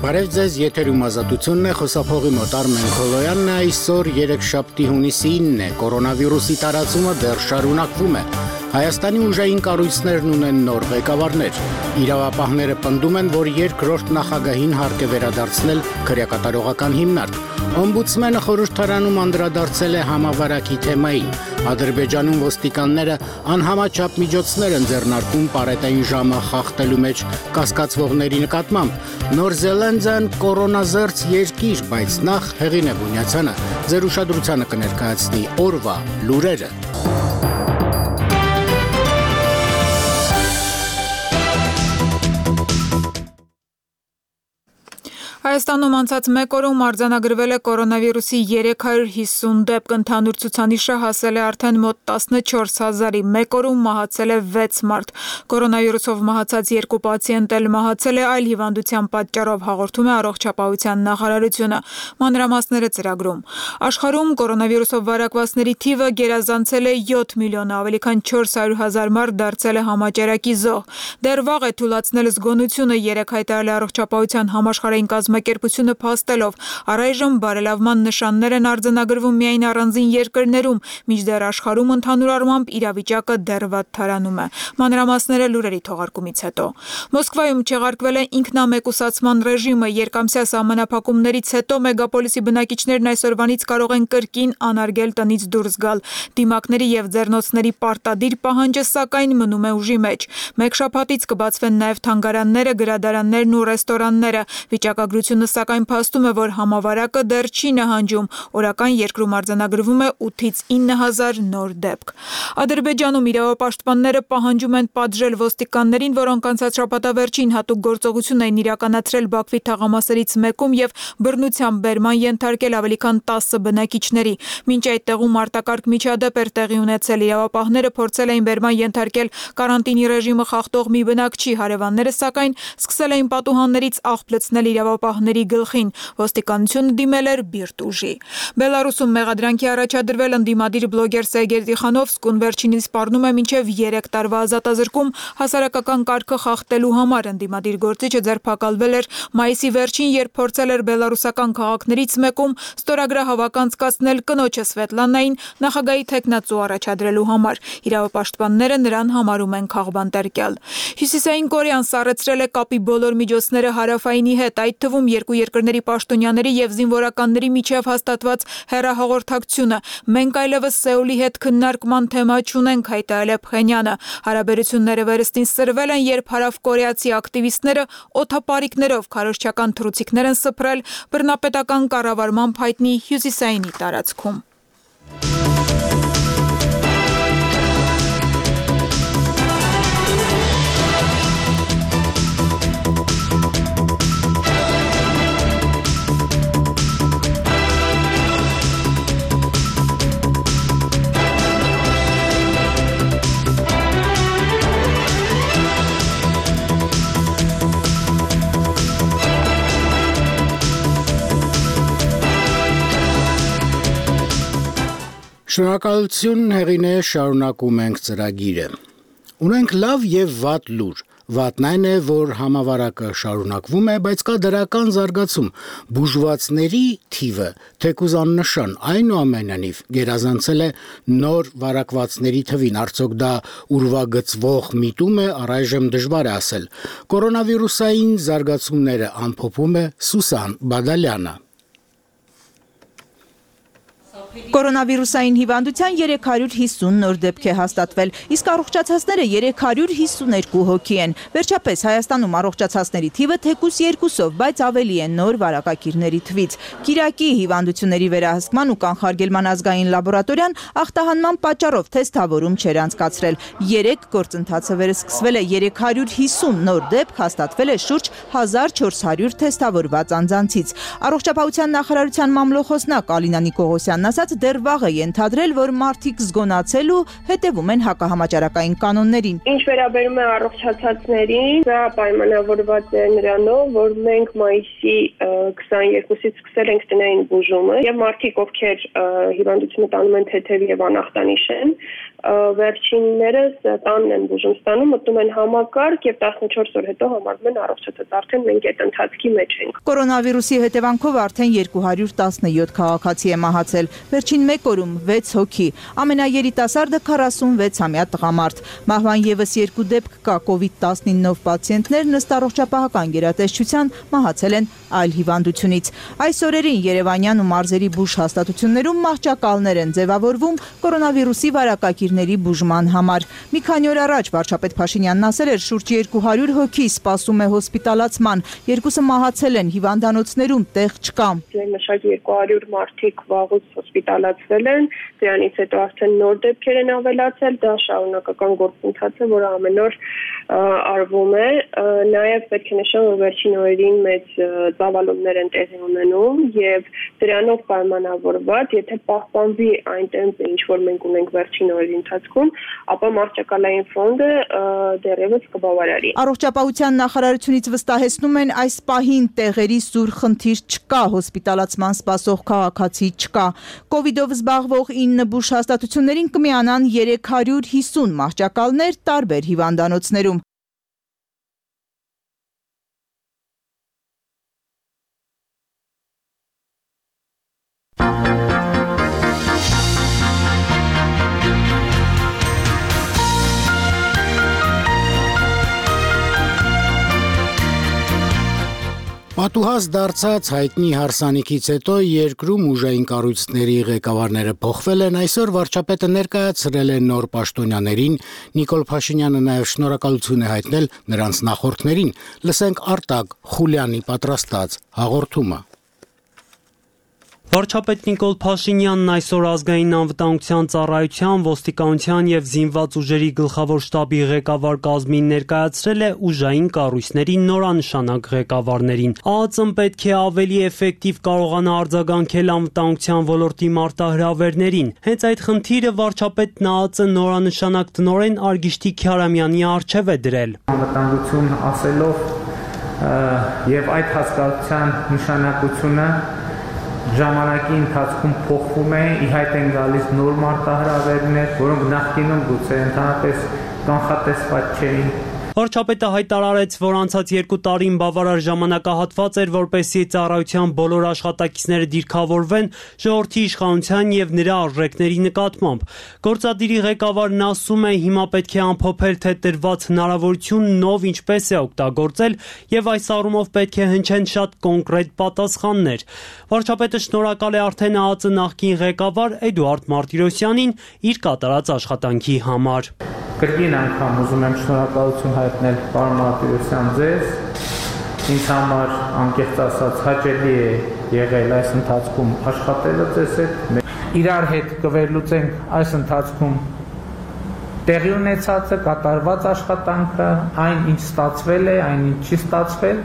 Բարև ձեզ, եթերում ազատությունն է, խոսափողի մոտ Արմեն Քոլոյանն է, այսօր երեքշաբթի հունիսի 9 է, կորոնավիրուսի տարածումը դեռ շարունակվում է։ Հայաստանի ուժային կառույցներն ունեն նոր ղեկավարներ։ Իրավապահները պնդում են, որ երկրորդ նախագահին հարկ է վերադարձնել քրեակատարողական հիմնարկ։ Օմբուդսմենը խորհրդարանում անդրադարձել է համավարակի թեմային։ Ադրբեջանում ոստիկանները անհամաչափ միջոցներ են ձեռնարկում պարետային ժամը խախտելու մեջ կասկածվողների նկատմամբ։ Նոր Զելանդիան կորոնազերծ երկիր, բայց նախ Հեղինե Բունյացյանը ձեր ուշադրությանը կներկայացնի օրվա լուրերը։ Հայաստանում անցած մեկ օրում արձանագրվել է կորոնավիրուսի 350 դեպք, ընդհանուր ցուցանիշը հասել է արդեն մոտ 14,000-ի, մեկ օրում մահացել է 6 մարդ։ Կորոնավիրուսով մահացած 2 պացիենտ էլ մահացել է այլ հիվանդության պատճառով, հաղորդում է Առողջապահության նախարարությունը։ Մանրամասները ծրագրում։ Աշխարհում կորոնավիրուսով վարակվածների թիվը գերազանցել է 7 միլիոն, ավելի քան 400,000 մարդ դարձել է համաճարակի զոհ։ Դեռ վաղ է թույլատնել զգոնությունը, երեկ հայտարարել է Առողջապահության համաշխարհային կազմակերպությունը փաստելով, առայժմ բարելավման նշաններ են արձանագրվում միայն առանձին երկրներում, մինչդեռ աշխարհում ընդհանուր առմամբ իրավիճակը դեռ վատթարանում է։ Մանրամասները լուրերի թողարկումից հետո։ Մոսկվայում չեղարկվել է ինքնամեկուսացման ռեժիմը, երկամսյա սահմանափակումներից հետո մեգապոլիսի բնակիչներն այսօրվանից կարող են կրկին անարգել տնից դուրս գալ։ Դիմակների եւ ձեռնոցների պարտադիր պահանջը սակայն մնում է ուժի մեջ։ Մեկ շաբաթից կբացվեն նաեւ թանգարանները, գրադարաններն ու ռեստորանները։ Վիճակագրությունը սակայն փաստում է, որ համավարակը դեռ չի նահանջում։ Օրական երկրում արձանագրվում է 8-ից 9,000 նոր դեպք։ Ադրբեջանում իրավապաշտպանները պահանջում են պատժել ոստիկաններին, որոնք անցած շաբաթավերջին հատուկ գործողություն էին իրականացրել Բաքվի թաղամասերից մեկում եւ բռնությամբ բերման ենթարկել ավելի քան 10 բնակիչների։ Մինչ այդ տեղում արտակարգ միջադեպ էր տեղի ունեցել, իրավապահները փորձել էին բերման ենթարկել կարանտինի ռեժիմը խախտող մի բնակչի, հարևանները սակայն սկսել էին պատուհաններից աղբ լցնել իրավապահների գլխին, ոստիկանությունը դիմել էր բիրտ ուժի։ Բելարուսում մեղադրանքի առաջադրվել ընդդիմադիր բլոգեր Սերգեյ Տիխանովսկուն վերջինիս սպառնում է մինչև 3 տարվա ազատազրկում հասարակական կարգը խախտելու համար։ Ընդդիմադիր գործիչը ձերբակալվել էր մայիսի վերջին, երբ փորձել էր բելարուսական քաղաքներից մեկում ստորագրահավաք անցկացնել կնոջը Սվետլանային նախագահի թեկնածու առաջադրելու համար։ Իրավապաշտպանները նրան համարում են քաղբանտարկյալ։ Հյուսիսային Կորեան սառեցրել է կապի բոլոր միջոցները հարավայինի հետ, այդ թվում երկու երկրների պաշտոնյաների եւ զինվորականների միջև հաստատված հեռահաղորդակցությունը։ Մենք այլևս Սեուլի հետ քննարկման թեմա չունենք, հայտարարել է Փխենյանը։ Հարաբերությունները վերստին սրվել են, երբ հարավկորեացի ակտիվիստները օդապարիկներով քարոզչական թռուցիկներ են սփռել բռնապետական կառավարման հայտնի հյուսիսայինի տարածքում։ Շնորհակալություն Հեղինե, շարունակում ենք ծրագիրը։ Ունենք լավ եւ վատ լուր։ Վատն այն է, որ համավարակը շարունակվում է, բայց կա դրական զարգացում։ Բուժվածների թիվը թեկուզ աննշան, այնուամենայնիվ գերազանցել է նոր վարակվածների թվին։ Արդյոք դա ուրվագծվող միտում է, առայժմ դժվար է ասել։ Կորոնավիրուսային զարգացումները ամփոփում է Սուսան Բադալյանը։ Կորոնավիրուսային հիվանդության 350 նոր դեպք է հաստատվել, իսկ առողջացածները 352 հոգի են։ Վերջապես Հայաստանում առողջացածների թիվը թեկուզ 2-ով, բայց ավելի է նոր վարակակիրների թվից։ Կիրակի հիվանդությունների վերահսկման ու կանխարգելման ազգային լաբորատորիան ախտահանման պատճառով թեստավորում չէր անցկացրել։ 3 գործընթացը վերսկսվել է, 350 նոր դեպք հաստատվել է շուրջ 1400 թեստավորված անձանցից։ Առողջապահության նախարարության մամլոխոսնակ Ալինա Նիկողոսյանն ասաց, դեռ վաղ է ենթադրել, որ մարդիկ զգոնացել ու հետևում են հակահամաճարակային կանոններին։ Ինչ վերաբերում է առողջացածներին, դա պայմանավորված է նրանով, որ մենք մայիսի 22-ից սկսել ենք տնային բուժումը, եւ մարդիկ, ովքեր հիվանդությունը տանում են թեթև եւ անախտանիշ են, վերջիններս տանն են բուժում ստանում, մտնում են համակարգ եւ 14 օր հետո համարվում են առողջացած, արդեն մենք այդ ընթացքի մեջ ենք։ Կորոնավիրուսի հետևանքով արդեն 217 քաղաքացի է մահացել, վերջին 1 օրում 6 հոգի, ամենաերիտասարդը 46-ամյա տղամարդ։ Մահվան եւս 2 դեպք կա, COVID-19-ով պացիենտներն ըստ առողջապահական գերատեսչության մահացել են այլ հիվանդությունից։ Այս օրերին Երևանյան ու մարզերի բուժ հաստատություններում մահճակալներ են ձևավորվում կորոնավիրուսի վարակակիրների բուժման համար։ Մի քանի օր առաջ վարչապետ Փաշինյանն ասել էր, շուրջ 200 հոգի սպասում է հոսպիտալացման, 2-ը մահացել են, հիվանդանոցներում տեղ չկա։ Մշակ 200 մարդիկ վաղուց հոսպիտալացվել են, դրանից հետո արդեն նոր դեպքեր են ավելացել, դա շարունակական գործընթաց է, որը ամեն օր արվում է։ Նաև պետք է նշեմ, որ վերջին օրերին մեծ ծավալումներ են տեղի ունենում եւ դրանով պայմանավորված, եթե պահպանվի այն տեմպը, ինչ որ մենք ունենք վերջին օրերի ընթացքում, ապա մահճակալային ֆոնդը դեռևս կբավարարի։ Առողջապահության նախարարությունից վստահեցնում են, այս պահին տեղերի սուր խնդիր չկա, հոսպիտալացման սպասող քաղաքացի չկա։ Կովիդով զբաղվող 9 բուժ հաստատություններին կմիանան 350 մահճակալներ տարբեր հիվանդանոցներում։ Պատուհաս դարձած հայտնի հարսանիքից հետո երկրում ուժային կառույցների ղեկավարները փոխվել են, այսօր վարչապետը ներկայացրել է նոր պաշտոնյաներին, Նիկոլ Փաշինյանը նաև շնորհակալություն է հայտնել նրանց նախորդներին։ Լսենք Արտակ Խուլյանի պատրաստած հաղորդումը։ Վարչապետ Նիկոլ Փաշինյանն այսօր ազգային անվտանգության ծառայության, ոստիկանության եւ զինված ուժերի գլխավոր շտաբի ղեկավար կազմին ներկայացրել է ուժային կառույցների նորանշանակ ղեկավարներին։ ԱԱԾ-ն պետք է ավելի էֆեկտիվ կարողանա արձագանքել անվտանգության ոլորտի մարտահրավերներին։ Հենց այդ խնդիրը վարչապետն ԱԱԾ նորանշանակ տնօրեն Արգիշտի Քյարամյանի առջև է դրել։ Անվտանգություն ասելով եւ այդ հասկացության նշանակությունը ժամանակի ընթացքում փոխվում է, ի հայտ են գալիս նոր մարտահրավերներ, որոնք նախկինում գուցե ընդհանրապես կանխատեսված չէին։ Վարչապետը հայտարարեց, որ անցած 2 տարին բավարար ժամանակահատված էր, որպեսզի ծառայության բոլոր աշխատակիցները դիրքավորվեն ժողովրդի իշխանության եւ նրա արժեքների նկատմամբ։ Գործադիրի ղեկավարն ասում է, հիմա պետք է ամփոփել, թե տրված հնարավորությունն ով ինչպես է օգտագործել եւ այս առումով պետք է հնչեն շատ կոնկրետ պատասխաններ։ Վարչապետը շնորհակալ է արդեն ԱԱԾ նախկին ղեկավար Էդուարդ Մարտիրոսյանին իր կատարած աշխատանքի համար։ Կրկին անգամ ուզում եմ շնորհակալություն հայտնել պարոն Մարտիրոսյան ձեզ, ինձ համար անկեղծ ասած հաճելի է եղել այս ընթացքում աշխատելը ձեզ հետ, իրար հետ կվերլուծենք այս ընթացքում տեղի ունեցածը, կատարված աշխատանքը, այն ինչ ստացվել է, այն ինչ չի ստացվել,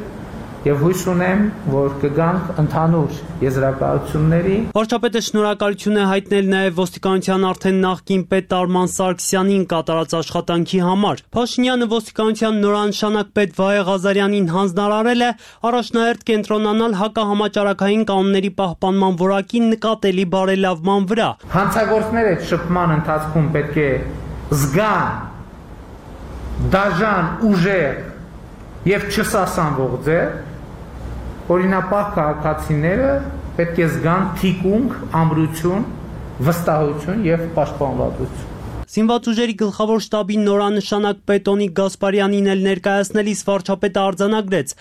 եւ հույս ունեմ, որ կգանք ընդհանուր եզրակացությունների։ Վարչապետը շնորհակալություն է հայտնել նաև ոստիկանության արդեն նախկին պետ Արման Սարգսյանին կատարած աշխատանքի համար։ Փաշինյանը ոստիկանության նորանշանակ պետ Վահե Ղազարյանին հանձնարարել է առաջնահերթ կենտրոնանալ հակահամաճարակային կանոնների պահպանման որակի նկատելի բարելավման վրա։ Հանցագործները շփման ընթացքում պետք է զգան դաժան ուժեղ եւ չսասանվող ձեռ, օրինապահ քաղաքացիները պետք է զգան թիկունք, ամրություն, վստահություն եւ պաշտպանվածություն։ Զինված ուժերի գլխավոր շտաբի նորանշանակ Պետոնիկ Գասպարյանին էլ ներկայացնելիս վարչապետը արձանագրեց.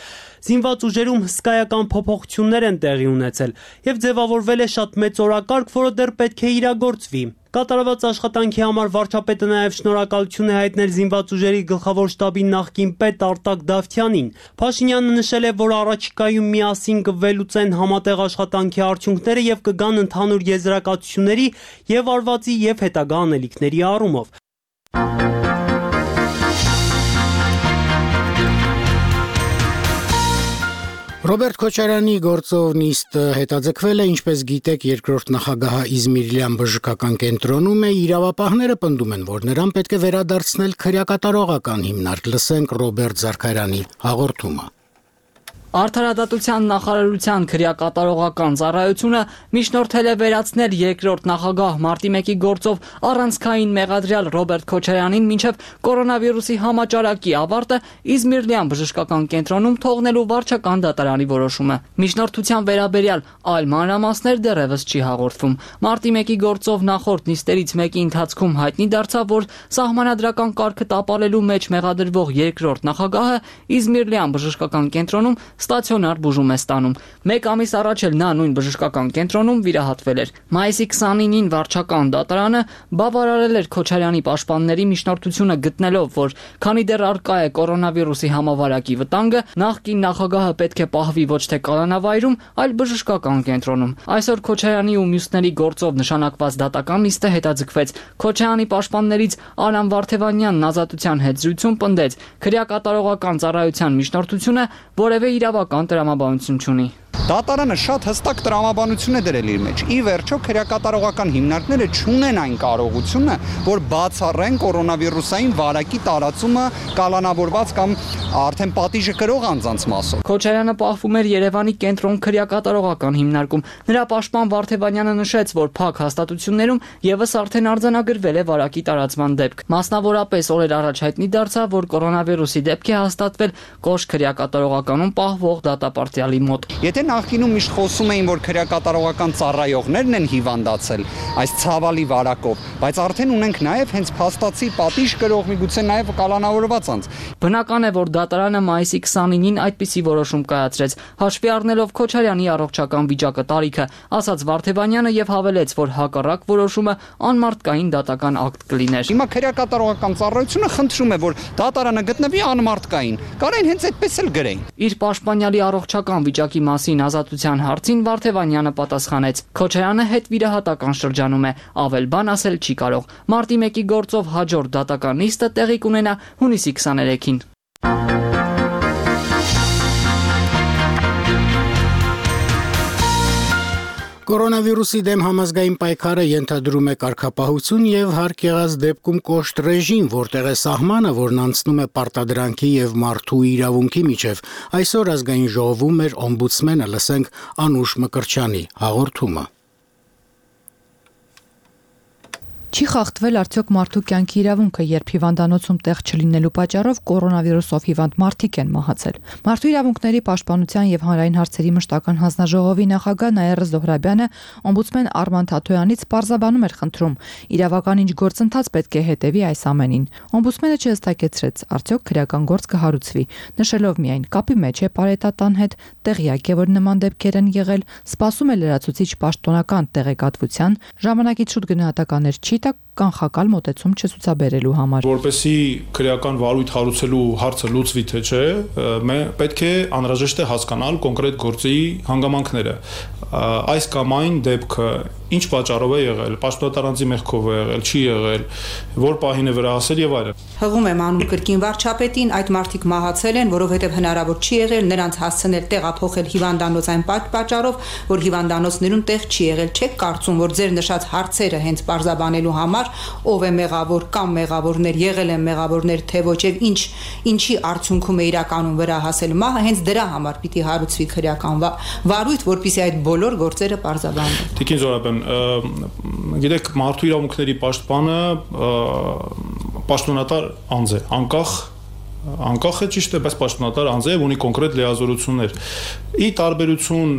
Զինված ուժերում հսկայական փոփոխություններ են տեղի ունեցել եւ ձևավորվել է շատ մեծ օրակարգ, որը դեռ պետք է իրագործվի։ Կատարված աշխատանքի համար վարչապետը նաև շնորհակալություն է հայտնել զինված ուժերի գլխավոր շտաբի նախկին պետ Արտակ Դավթյանին։ Փաշինյանը նշել է, որ առաջիկայում միասին կվելուծեն համատեղ աշխատանքի արդյունքները եւ կգան ընդհանուր եզրակացությունների եւ արվածի եւ հետագա անելիքների առումով։ Ռոբերտ Քոչարյանի գործով նիստը հետաձգվել է, ինչպես գիտեք, երկրորդ նախագահ Իզմիրլյան բժշկական կենտրոնում է, իրավապահները պնդում են, որ նրան պետք է վերադարձնել քրեակատարողական հիմնարկ։ Լսենք Ռոբերտ Զարքարյանի հաղորդումը։ Արդարադատության նախարարության քրեակատարողական ծառայությունը միջնորդել է վերացնել երկրորդ նախագահ Մարտի 1-ի գործով առանցքային մեղադրյալ Ռոբերտ Քոչարյանին մինչև կորոնավիրուսի համաճարակի ավարտը Իզմիրլյան բժշկական կենտրոնում թողնելու վարչական դատարանի որոշումը։ Միջնորդության վերաբերյալ այլ մանրամասներ դեռևս չի հաղորդվում։ Մարտի 1-ի գործով նախորդ նիստերից մեկի ընթացքում հայտնի դարձավ, որ սահմանադրական կարգը տապալելու մեջ մեղադրվող երկրորդ նախագահը Իզմիրլյան բժշկական կենտրոնում ստացիոնար բուժում է ստանում։ Մեկ ամիս առաջ էլ նա նույն բժշկական կենտրոնում վիրահատվել էր։ Մայիսի 29-ին վարչական դատարանը բավարարել էր Քոչարյանի պաշտպանների միջնորդությունը գտնելով, որ քանի դեռ առկա է կորոնավիրուսի համավարակի վտանգը, նախկին նախագահը պետք է պահվի ոչ թե կալանավայրում, այլ բժշկական կենտրոնում։ Այսօր Քոչարյանի ու մյուսների գործով նշանակված դատական նիստը հետաձգվեց։ Քոչարյանի պաշտպաններից Արամ Վարդևանյանն ազատության հետ զրույցում պնդեց, քրեակատարողական ծառայության միջնորդությունը որևէ իրավական տրամաբանություն չունի։ Դատարանը շատ հստակ տրամաբանություն է դրել իր մեջ։ Ի վերջո քրեակատարողական հիմնարկները չունեն այն կարողությունը, որ բացառեն կորոնավիրուսային վարակի տարածումը կալանավորված կամ արդեն պատիժը կրող անձանց մասով։ Քոչարյանը պահվում էր Երևանի կենտրոն քրեակատարողական հիմնարկում։ Նրա պաշտպան Վարդևանյանը նշեց, որ փակ հաստատություններում եւս արդեն արձանագրվել է վարակի տարածման դեպք։ Մասնավորապես օրեր առաջ հայտնի դարձավ, որ կորոնավիրուսի դեպք է հաստատվել Կոշ քրեակատարողականում պահվող դատապարտյալի մոտ։ Եթե նախկինում միշտ խոսում էին, որ քրեակատարողական ծառայողներն են հիվանդացել այս ցավալի վարակով, բայց արդեն ունենք նաև հենց փաստացի պատիժ կրող միգուցե նաև կալանավորված անձ։ Բնական է, որ դատարանը մայիսի 29-ին այդպիսի որոշում կայացրեց, հաշվի առնելով Քոչարյանի առողջական վիճակը տարիքը, ասաց Վարդևանյանը եւ հավելեց, որ հակառակ որոշումը անմարդկային դատական ակտ կլիներ։ Հիմա քրեակատարողական ծառայությունը խնդրում է, որ դատարանը գտնվի անմարդկային։ Կարեն հենց այդպես էլ գրեին։ Իր պաշտպանյալի առողջական վիճակի մասին ազատության հարցին Վարդևանյանը պատասխանեց. Քոչարյանը հետ վիրահատական շրջանում է, ավել բան ասել չի կարող։ Մարտի 1-ի գործով հաջորդ դատական նիստը տեղի կունենա հունիսի 23-ին։ Կորոնավիրուսի դեմ համազգային պայքարը ենթադրում է կարգապահություն եւ հարկ եղած դեպքում կոշտ ռեժիմ, որտեղ է սահմանը, որն անցնում է պարտադրանքի եւ մարդու իրավունքի միջև։ Այսօր ազգային ժողովում էր օմբուդսմենը, լսենք Անուշ Մկրտչյանի հաղորդումը։ Չի խախտվել արդյոք մարդու կյանքի իրավունքը, երբ հիվանդանոցում տեղ չլինելու պատճառով կորոնավիրուսով հիվանդ մարդիկ են մահացել։ Մարդու իրավունքների պաշտպանության եւ հանրային հարցերի մշտական հանձնաժողովի նախագահ Նաիրա Զոհրաբյանը օմբուդսմեն Արման Թաթոյանից պարզաբանում էր խնդրում, իրավական ինչ գործընթաց պետք է հետևի այս ամենին։ Օմբուդսմենը չհստակեցրեց, արդյոք քրեական գործ կհարուցվի, նշելով միայն կապի մեջ է պարետատան հետ, տեղյակ է, որ նման դեպքեր են եղել, սպասում է լրացուցիչ պաշտոնական տեղեկատվության, ժամանակից շուտ գնահատականներ չի տա կանխակալ մոտեցում չցուցաբերելու համար։ Որպեսզի քրեական վարույթ հարուցելու հարցը լուծվի թե չէ, պետք է անհրաժեշտ է հասկանալ կոնկրետ գործի հանգամանքները։ Այս կամ այն դեպքը ինչ պատճառով է եղել, պաշտոնատարանձի մեղքով է եղել, չի եղել, որ պահին է վերահասել եւ այլն։ Հղում եմ անում կրկին վարչապետին, այդ մարդիկ մահացել են, որովհետեւ հնարավոր չի եղել նրանց հասցնել տեղափոխել հիվանդանոց այն պատճառով, որ հիվանդանոցներում տեղ չի եղել։ Չեք կարծում, որ ձեր նշած հարցերը հենց պարզաբանելու համար ով է մեղավոր կամ մեղավորներ եղել են մեղավորներ թե ոչ եւ ինչի արդյունքում է իրականում վերահասել մահը, հենց դրա համար պիտի հարուցվի քրեական վարույթ, որպեսզի այդ բոլոր գործերը պարզաբանվեն։ Տիկին Զոհրաբյան, գիտեք, մարդու իրավունքների պաշտպանը պաշտոնատար անձ է, անկախ է ճիշտ է, բայց պաշտոնատար անձ է, ունի կոնկրետ լիազորություններ։ Ի տարբերություն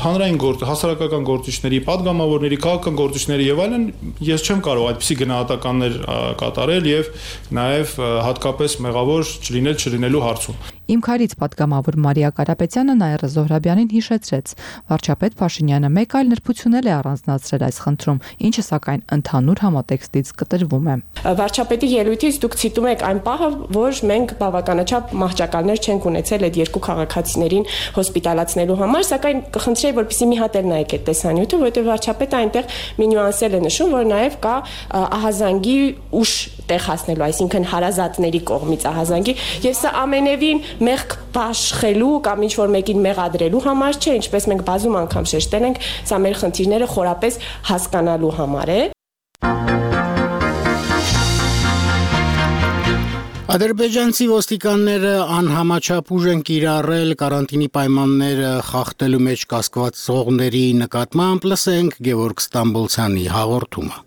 հանրային հասարակական գործիչների, падգամավորների, քաղաքական գործիչների եւ այլն, ես չեմ կարող այդպիսի գնահատականներ կատարել եւ նաեւ հատկապես մեղավոր չլինելու հարցում։ Իմ քարից падգամավոր Մարիա Կարապետյանը Նաիրա Զոհրաբյանին հիշեցրեց. Վարչապետ Փաշինյանը մեկ այլ նրբությունել է առանձնացրել այս խնդրում, ինչը սակայն ընդհանուր համատեքստից կտրվում է։ Վարչապետի ելույթից դուք ցիտում եք այն պահը, որ մենք բավականաչափ մահճակալներ չենք ունեցել այդ երկու քաղաքացիներին հոսպիտալացնելու համար, սակայն կխնդրեի, որպեսզի մի հատ էլ նայեք այդ տեսանյութը, որովհետև վարչապետը այնտեղ մի նյուանսել է նշում, որ նաև կա ահազանգի ուշ տեղ հասնելու, այսինքն հարազատների կողմից ահազանգի, եւ սա ամենևին մեղք բաշխելու կամ ինչ որ մեկին մեղադրելու համար չէ, ինչպես մենք բազում անգամ շեշտել ենք, սա մեր խնդիրները խորապես հասկանալու համար է։ Ադրբեջանցի ոստիկանները անհամաչափ ուժ են կիրառել կարանտինի պայմանները խախտելու մեջ կասկածողների նկատմամբ, լսենք Գևորգ Ստամբոլցյանի հաղորդումը։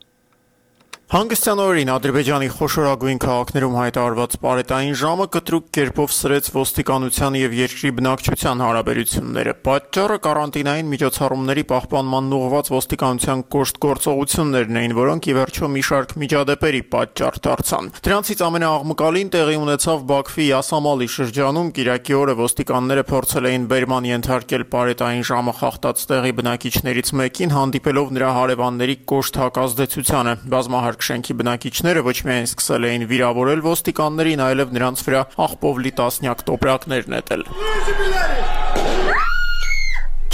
Հանգստյան օրերին Ադրբեջանի խոշորագույն քաղաքներում հայտարարված պարետային ժամը կտրուկ կերպով սրեց ոստիկանության եւ երկրի բնակչության հարաբերությունները։ Պատճառը կարանտինային միջոցառումների պահպանման ուղղված ոստիկանության կոշտ գործողություններն էին, որոնք ի վերջո մի շարք միջադեպերի պատճառ դարձան։ Դրանցից ամենաաղմկալին տեղի ունեցավ Բաքվի Յասամալի շրջանում։ Կիրակի օրը ոստիկանները փորձել էին բերման ենթարկել պարետային ժամը խախտած տեղի բնակիչներից մեկին, հանդիպելով նրա հարևանների կոշտ հակազդեցությանը։ Բազմահարկ շենքի բնակիչները ոչ միայն սկսել էին վիրավորել ոստիկաններին, այլև նրանց վրա աղբով լի տասնյակ տոպրակներ նետել։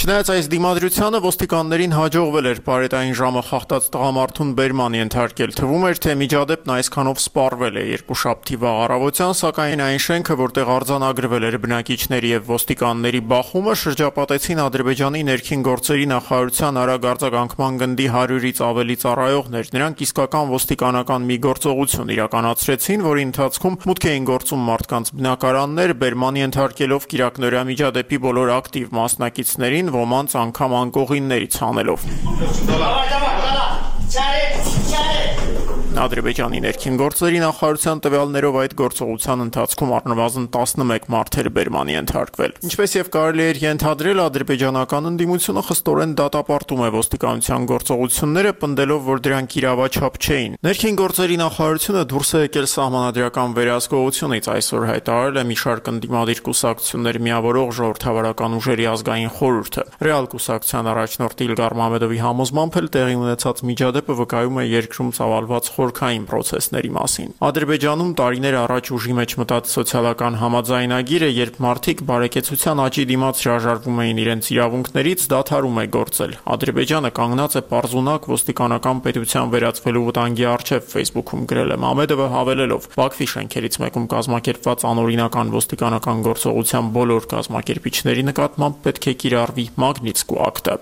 Չնայած այս դիմադրությանը ոստիկաններին հաջողվել էր պարետային ժամը խախտած տղամարդուն բերման ենթարկել։ Թվում էր, թե միջադեպն այսքանով սպառվել է երկուշաբթի վաղ առավոտյան, սակայն այն շենքը, որտեղ արձանագրվել էր բնակիչների եւ ոստիկանների բախումը, շրջապատեցին Ադրբեջանի ներքին գործերի նախարարության արագ արձագանքման գնդի 100-ից ավելի ծառայողներ։ Նրանք իսկական ոստիկանական մի գործողություն իրականացրեցին, որի ընթացքում մուտք էին գործում մարդկանց բնակարաններ, բերման ենթարկելով կիրակնօրյա միջադեպի բոլոր ակտիվ մասնակիցներին, ոմանց անգամ անկողիններից հանելով։ Ադրբեջանի ներքին գործերի նախարարության տվյալներով այդ գործողության ընթացքում առնվազն 11 մարդ էր բերման ենթարկվել։ Ինչպես եւ կարելի էր ենթադրել, ադրբեջանական ընդդիմությունը խստորեն դատապարտում է ոստիկանության գործողությունները, պնդելով, որ դրանք իրավաչափ չէին։ Ներքին գործերի նախարարությունը դուրս է եկել սահմանադրական վերահսկողությունից, այսօր հայտարարել է մի շարք ընդդիմադիր կուսակցություններ միավորող ժողովրդավարական ուժերի ազգային խորհուրդը։ Ռեալ կուսակցության առաջնորդ Իլգար Մամեդովի համոզմամբ էլ տեղի ունեցած միջադեպը վկայում է երկրում ծավալված խորքային պրոցեսների մասին։ Ադրբեջանում տարիներ առաջ ուժի մեջ մտած սոցիալական համաձայնագիրը, երբ մարդիկ բարեկեցության աճի դիմաց հրաժարվում էին իրենց իրավունքներից, դադարում է գործել։ Ադրբեջանը կանգնած է պարզունակ ոստիկանական պետության վերածվելու վտանգի առջև, Facebook-ում գրել է Մամեդովը, հավելելով. Բաքվի շենքերից մեկում կազմակերպված անօրինական ոստիկանական գործողության բոլոր կազմակերպիչների նկատմամբ պետք է կիրառվի Մագնիտսկու ակտը։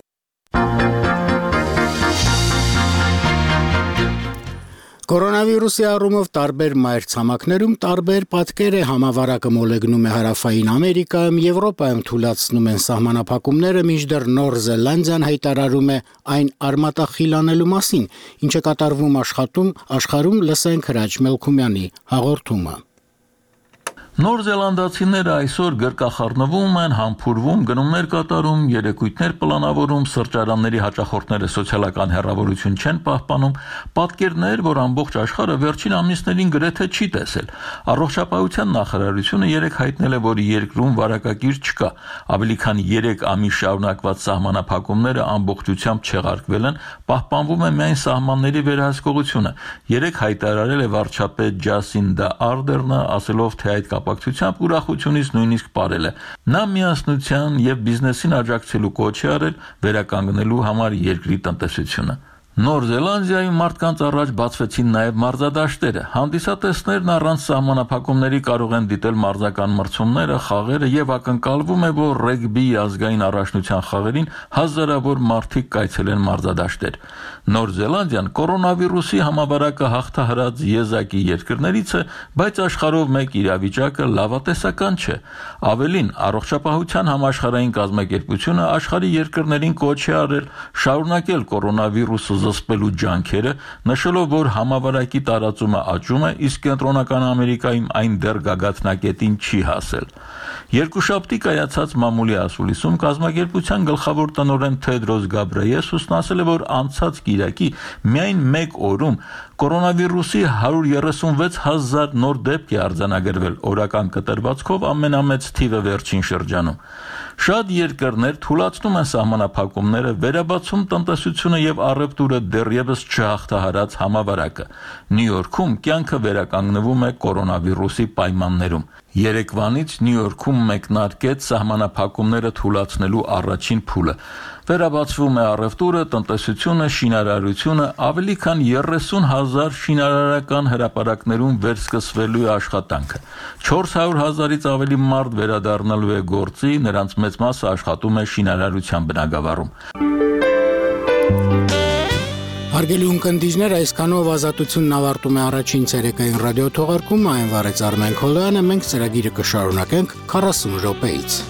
Կորոնավիրուսի առումով տարբեր մայրցամաքներում տարբեր պատկեր է համավարակը մոլեգնում է Հարավային Ամերիկայում, Եվրոպայում թուլացնում են սահմանափակումները, մինչդեռ Նոր Զելանդիան հայտարարում է այն արմատախիլ անելու մասին, ինչը կատարվում աշխարհում, լսենք Հրաչ Մելքումյանի հաղորդումը։ Նոր Զելանդացիները այսօր գրկախառնվում են, համբուրվում, գնումներ կատարում, երեկույթներ պլանավորում, սրճարանների հաճախորդները սոցիալական հեռավորություն չեն պահպանում, պատկերներ, որ ամբողջ աշխարհը վերջին ամիսներին գրեթե չի տեսել։ Առողջապահության նախարարությունը երեկ հայտնել է, որ երկրում վարակագիր չկա, ավելի քան 3 ամիս շարունակված սահմանափակումները ամբողջությամբ չեղարկվել են, պահպանվում է միայն սահմանների վերահսկողությունը։ Երեկ հայտարարել է վարչապետ Ջասինդա Արդերնը, ասելով, թե այդ կապակցությամբ ուրախությունից նույնիսկ ապարել է։ Նա միասնության եւ բիզնեսին աջակցելու կոչ է արել վերականգնելու համար երկրի տնտեսությունը։ Նոր Զելանդիայում մարդկանց առաջ բացվեցին նաև մարզադաշտերը։ Հանդիսատեսներն առանց սահմանափակումների կարող են դիտել մարզական մրցումները, խաղերը եւ ակնկալվում է, որ ռեգբի ազգային առաջնության խաղերին հազարավոր մարդիկ կայցելեն մարզադաշտեր։ Նոր Զելանդիան կորոնավիրուսի համավարակը հաղթահարած եզակի երկրներից է, բայց աշխարհով մեկ իրավիճակը լավատեսական չէ։ Ավելին, առողջապահության համաշխարհային կազմակերպությունը աշխարհի երկրներին կոչ է արել շարունակել կորոնավիրուսը զսպելու ջանքերը, նշելով, որ համավարակի տարածումը աճում է, իսկ Կենտրոնական Ամերիկայում այն դեռ գագաթնակետին չի հասել։ Երկուշաբթի կայացած մամուլի ասուլիսում կազմակերպության գլխավոր տնօրեն Թեդրոս Գաբրիեսուսն ասել է, որ անցած կիրակի միայն մեկ օրում կորոնավիրուսի 136,000 նոր դեպք է արձանագրվել, օրական կտրվածքով ամենամեծ թիվը վերջին շրջանում։ Շատ երկրներ թուլացնում են սահմանափակումները, վերաբացում տնտեսությունը եւ առևտուրը դեռևս չհաղթահարած համավարակը։ Նյու Յորքում կյանքը վերականգնվում է կորոնավիրուսի պայմաններում։ Երեկվանից Նյու Յորքում մեկնարկեց սահմանափակումները թուլացնելու առաջին փուլը։ Վերաբացվում է առևտուրը, տնտեսությունը, շինարարությունը, ավելի քան 30,000 շինարարական հրապարակներում վերսկսվելու է աշխատանքը։ 400,000-ից ավելի մարդ վերադառնալու է գործի, նրանց մեծ մասը աշխատում է շինարարության բնագավառում։ Հարգելի ունկնդիրներ, այսքանով Ազատությունն ավարտում է առաջին ցերեկային ռադիոթողարկումը, այն վարեց Արմեն Քոլոյանը, մենք ծրագիրը կշարունակենք 40 րոպեից։